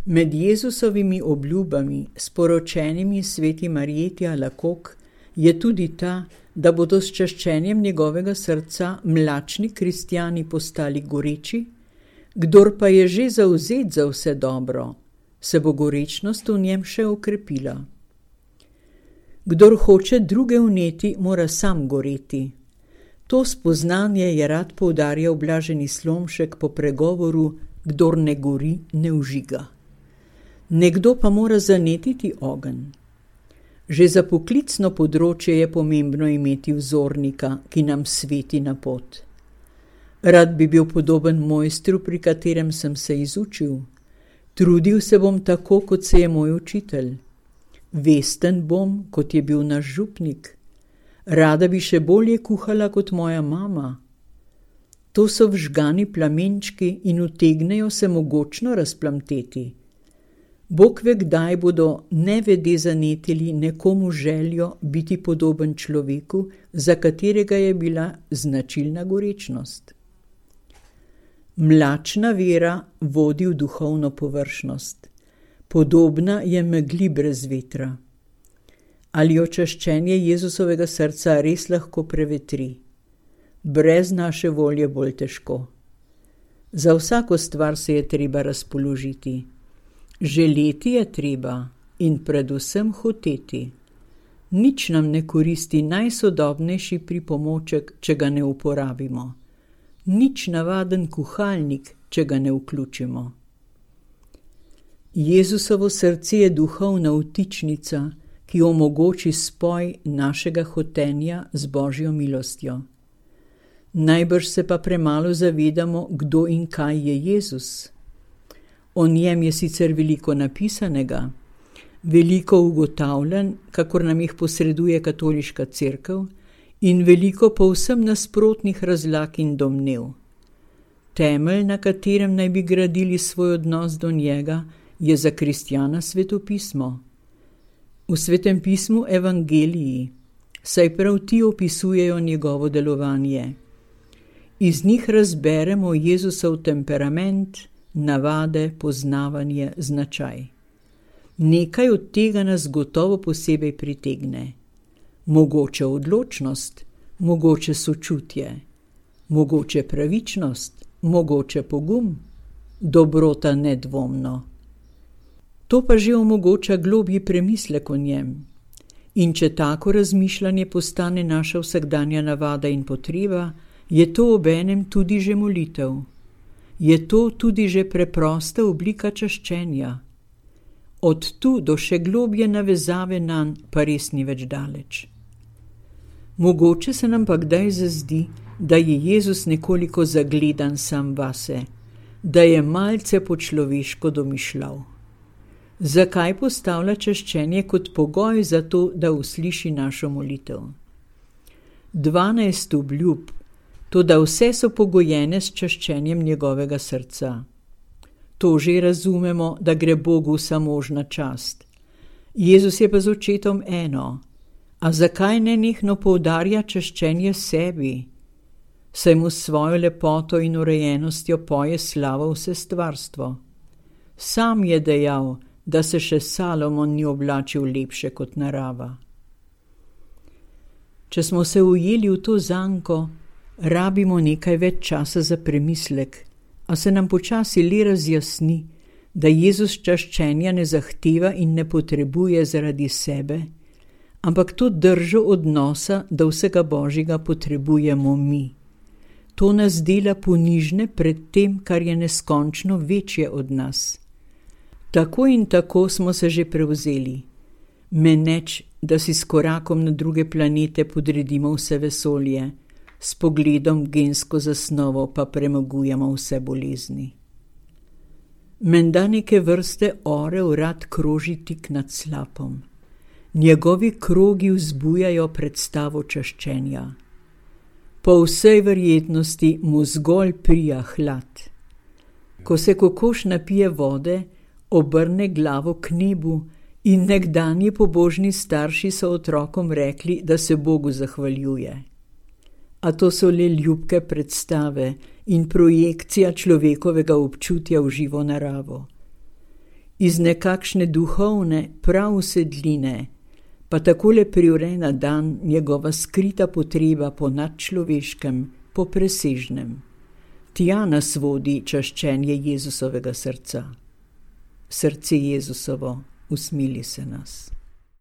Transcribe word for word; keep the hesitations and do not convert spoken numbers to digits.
Med Jezusovimi obljubami, sporočenimi sveti Marjeti Alakok, je tudi ta, da bodo s čaščenjem njegovega srca mlačni kristjani postali goreči, kdor pa je že zavzet za vse dobro, se bo gorečnost v njem še okrepila. Kdor hoče druge vneti, mora sam goreti. To spoznanje je rad poudarjal blaženi Slomšek po pregovoru, kdor ne gori, ne vžiga. Nekdo pa mora zanetiti ogenj. Že za poklicno področje je pomembno imeti vzornika, ki nam sveti na pot. Rad bi bil podoben mojstru, pri katerem sem se izučil. Trudil se bom tako, kot se je moj učitelj. Vesten bom, kot je bil naš župnik. Rada bi še bolje kuhala kot moja mama. To so vžgani plamenčki in utegnejo se mogočno razplamteti. Bog ve, kdaj bodo nevede zanetili nekomu željo biti podoben človeku, za katerega je bila značilna gorečnost. Mlačna vera vodi v duhovno površnost. Podobna je megli brez vetra. Ali očaščenje Jezusovega srca res lahko prevetri? Brez naše volje bolj težko. Za vsako stvar se je treba razpoložiti. Želeti je treba in predvsem hoteti. Nič nam ne koristi najsodobnejši pripomoček, če ga ne uporabimo. Nič navaden kuhalnik, če ga ne vključimo. Jezusovo srce je duhovna vtičnica, ki omogoči spoj našega hotenja z Božjo milostjo. Najbrž se pa premalo zavedamo, kdo in kaj je Jezus. O njem je sicer veliko napisanega, veliko ugotavljanj, kakor nam jih posreduje katoliška cerkev, in veliko povsem nasprotnih razlag in domnev. Temelj, na katerem naj bi gradili svoj odnos do njega, je za kristjana svetopismo. V svetem pismu evangeliji, saj prav ti opisujejo njegovo delovanje. Iz njih razberemo Jezusov temperament, navade, poznavanje, značaj. Nekaj od tega nas gotovo posebej pritegne. Mogoče odločnost, mogoče sočutje, mogoče pravičnost, mogoče pogum, dobrota nedvomno. To pa že omogoča globji premislek o njem. In če tako razmišljanje postane naša vsakdanja navada in potreba, je to obenem tudi že molitev. Je to tudi že preprosta oblika čaščenja. Od tu do še globje navezave nanj pa res ni več daleč. Mogoče se nam pa kdaj zazdi, da je Jezus nekoliko zagledan sam vase, da je malce po človeško domišljal. Zakaj postavlja čaščenje kot pogoj za to, da usliši našo molitev? Dvanajst obljub, toda vse so pogojene s čaščenjem njegovega srca. To že razumemo, da gre Bogu vsamožna čast. Jezus je pa z očetom eno. A zakaj nenehno poudarja čaščenje sebi? Saj mu s svojo lepoto in urejenostjo poje slavo vse stvarstvo. Sam je dejal, da se še Salomon ni oblačil lepše kot narava. Če smo se ujeli v to zanko, rabimo nekaj več časa za premislek, a se nam počasi le razjasni, da Jezus čaščenja ne zahteva in ne potrebuje zaradi sebe, ampak to držo odnosa, da vsega Božjega potrebujemo mi. To nas dela ponižne pred tem, kar je neskončno večje od nas. Tako in tako smo se že prevzeli. Meneč, da si s korakom na druge planete podredimo vse vesolje, s pogledom gensko zasnovo pa premagujemo vse bolezni. Menda neke vrste orel rad kroži tik nad slapom. Njegovi krogi vzbujajo predstavo čaščenja. Po vsej verjetnosti mu zgolj prija hlad. Ko se kokoš napije vode, obrne glavo k nebu in nekdanji pobožni starši so otrokom rekli, da se Bogu zahvaljuje. A to so le ljubke predstave in projekcija človekovega občutja v živo naravo. Iz nekakšne duhovne prav sedline pa takole privre na dan njegova skrita potreba po nadčloveškem, po presežnem. Tja nas vodi čaščenje Jezusovega srca. Srce Jezusovo, usmili se nas.